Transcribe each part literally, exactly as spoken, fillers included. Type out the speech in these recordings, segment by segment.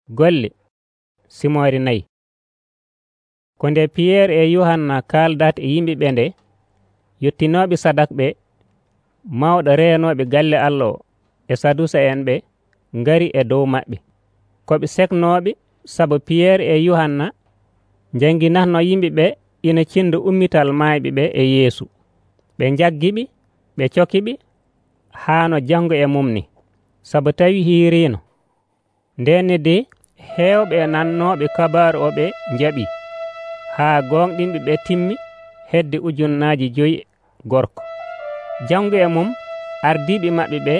Golle simoore nayi. Ko nde Piyeer e Yuhanna kaaldata e yimɓe ɓe nde, yottinooɓe Sadak ɓe, mawɗo reenooɓe galle Allah o e Sadusa'en ɓe ngari e dow maɓɓe. Ko ɓe seknooɓe sabu Piyeer e Yuhanna njangginatno yimɓe ɓe ina cinda ummital maayɓe ɓe e Yeesu. Ɓe njaggi-ɓe, ɓe coki-ɓe haa no janngo e mum ni, sabu tawii hiiriino. Ndeenne de heewɓe e nannooɓe kabaaru o ɓe njaɓii, haa gonɗinɓe ɓe timmi hedde ujunnaaje joyi gorko. Janngo e mum ardiiɓe maɓɓe ɓe,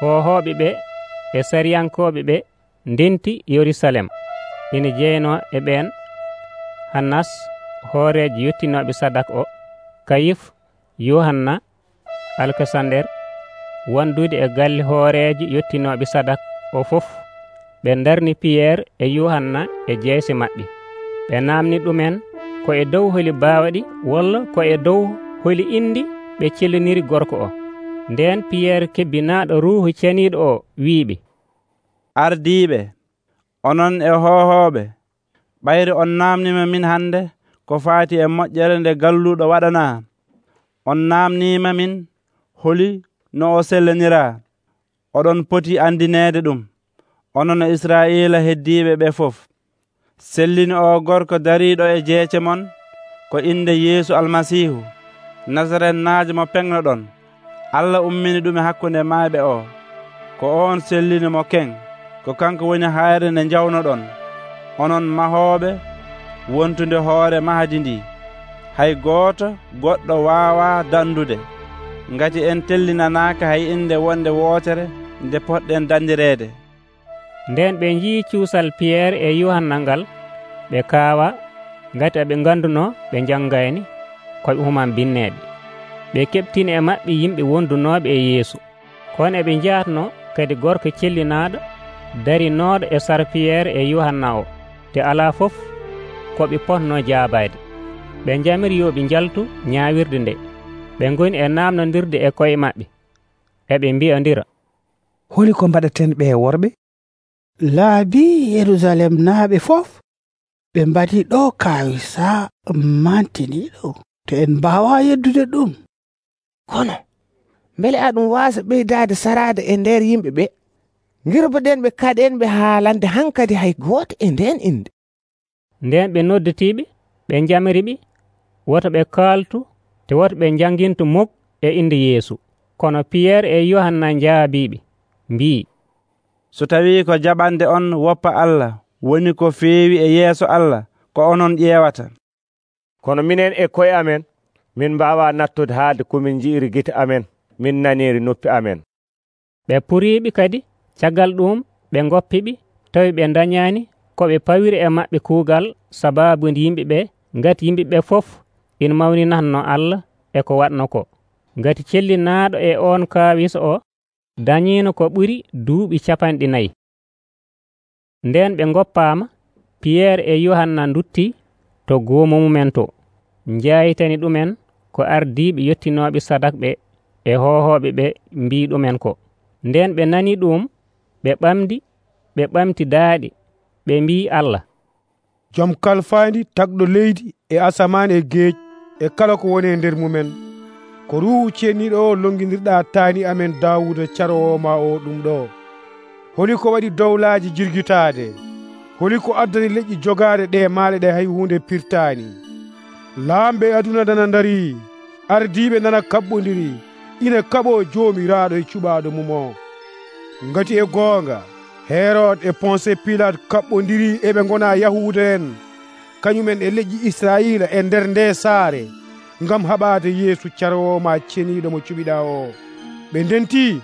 hohooɓe ɓe e sariyankooɓe ɓe ndenti Yerusalem, ina jeynoo e ɓeen Hannas, hooreejo yottinooɓe Sadak o, Kayif, Yohanna, Alkasander, wondude e galle hooreejo yottinooɓe Sadak o fof. Ɓe ndarni Piyeer e Yuhanna e jeyse maɓɓe. Ɓe naamni ɗumen ko e dow holi baawɗi walla ko e dow holi indi ɓe celliniri gorko o. Ndeen Piyeer kebbinaaɗo Ruuhu Ceniiɗo o wi'iɓe, ardiiɓe, onon e hohooɓe, ɓayde on naamnima min hannde ko faati e moƴƴere nde galluɗo waɗanaa. On naamniima min holi no o sellaniraa. Oɗon poti andineede ɗum, onon e Israa'iila heddiiɓe ɓe fof. Sellini o gorko dariiɗo e jeece mon ko inde Yeesu Almasiihu, Nasarenaajo mo peŋnoɗon. Allah ummini ɗum e hakkunde maayɓe o. Ko on sellini mo keŋ, ko kanko woni hayre nde njawnoɗon, onon mahooɓe wontunde hoore mahdi ndi. Hay gooto goɗɗo waawaa dandude, ngati en tellinanaaka hay inde wonde wootere nde poɗɗen dandireede. Nden ɓe njii cuusal Piyeer e Yuhanna ngal, ɓe kaawa, ngati aɓe ngandunoo ɓe janngayni koɓe human binneeɓe. Ɓe keɓtini e maɓɓe yimɓe wondunooɓe e Yeesu. Kono eɓe njaatno kadi gorko cellinaaɗo darinooɗo e sara Piyeer e Yuhanna o, te alaa fof ko ɓe potnoo jaabaade. Ɓe njamiri yo ɓe njaltu ñaawirde nde. Ɓe ngoni e naamnondirde e koye maɓɓe, eɓe mbi'ondira, holi ko mbaɗaten ɓe worɓe? Laabi Yerusalem naaɓe fof ɓe mbaɗi ɗo kaawisa mantiniiɗo, to en mbaawa yeddude ɗum. Kono mbele aɗum waasa ɓeydaade saraade e nder yimɓe ɓe, ngirboɗen ɓe kaɗenɓe haalande hankadi hay gooto e nden inde. Nden ɓe nodditiiɓe, ɓe njamiriɓe, woto ɓe kaaltu te woto ɓe jangintu mok e inde Yeesu. Kono Piyeer e Yohanna njaabiiɓe, mbii, so tawii ko jaɓande on woppa Allah woni ko feewi e yeeso Allah, ko onon ƴeewata. Kono minen e koye amen, min mbaawa nattude haalde komin nji'iri gite amen, min naniiri noppi amen. Ɓe puriiɓe kadi, caggal ɗum ɓe ngoppiɓe, tawi ɓe dañaani ko ɓe pawiri e maɓɓe kuugal sabaabude yimɓe ɓe, ngati yimɓe ɓe fof ina mawninatno Allah e ko waɗno ko. Ngati cellinaaɗo e on kaawisa o dañiino ko ɓuri duuɓi capanɗe nayi. Nden ɓe ngoppaama, Piyeer e Yohanna nduttii to goomu mumen to, njaayitani ɗumen ko ardiiɓe yottinooɓe Sadak ɓe e hohooɓe ɓe mbii ɗumen ko. Nden ɓe nanii ɗum, ɓe ɓamdi, ɓe ɓamti daaɗe, ɓe mbii Allah, Joom kalfaandi tagɗo leydi e asamaan e geej e kala ko woni e nder mumen, ko Ruuhu Ceniiɗo o longinirɗaa taani amen Daawuda caroowo ma o ɗum ɗo. Holi ko waɗi dowlaaji jirgitaade, holi ko addani leƴƴi jogaade ɗe maale ɗe hay hunde pirtaani. Laamɓe aduna nana ndarii, ardiiɓe nana kaɓɓondiri, ina kaɓoo Joomiraaɗo e cuɓaaɗo mum o. Ngati e goonga Herod e Ponse Pilat kaɓɓondiri eɓe ngona Yahuuda en, kañumen e leƴƴi Israa'iila e nder nde saare, ngam haɓaade Yeesu caroowo ma ceniiɗo mo cuɓiɗaa o. Ɓe ndentii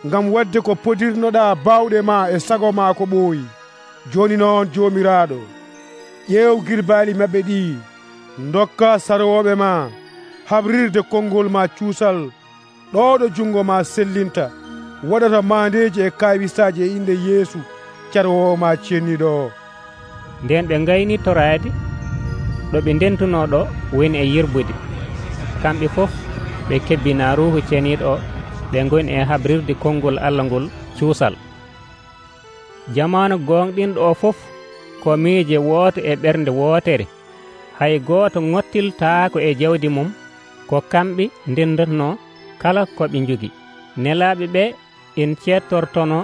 ngam waɗde ko podirnoɗaa baawɗe ma e sago ma ko ɓooyi. Jooni noon Joomiraaɗo, ƴeew girbaali maɓɓe ɗi, ndokka sarooɓe ma habrirde konngol ma cuusal ɗo ɗo jungo ma sellinta waɗata maandeji e kaawisaaji e inde Yeesu carwowo ma ceniiɗo o. Nden ɓe ngayni toraade ɗo ɓe ndentuno ɗo woni e yirbude. Kamɓe fof ɓe kebbina Ruuhu Ceniiɗo o, ɓe ngoni e habrirde konngol Allah ngol cuusal. Jamanu gonɗinɗo o fof ko miije wooto e ɓernde wootere, hay gooto ŋottiltaako e jawdi mum, ko kamɓe ndendetno kala ko ɓe njogi. Nelaaɓe ɓe en ceettortono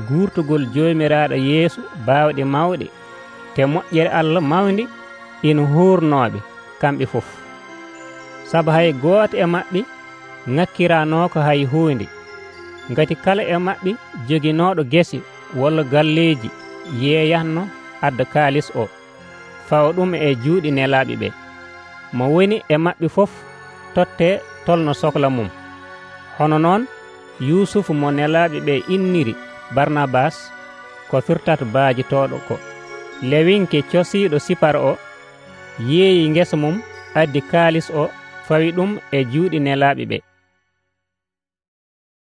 guurtugol Joomiraaɗo Yeesu baawɗe mawɗe, te moƴƴere Allah mawndi ina huurnooɓe kamɓe fof. Sabu hay gooto e maɓɓe ŋakkiraanooko hay huunde, ngati kala e maɓɓe joginooɗo gese walla galleeji yeeyatno adda kaalis o, fawa ɗum e juuɗe nelaaɓe ɓe. Mo woni e maɓɓe fof tottee tolno sohla mum. Hono noon Yusufu mo nelaaɓe ɓe inniri Barnabas, ko firtata baajitooɗo ko, lewinke cosiiɗo Sipar o, yeeyi ngesa mum addi kaalis o fawi ɗum e juuɗe nelaaɓe ɓe.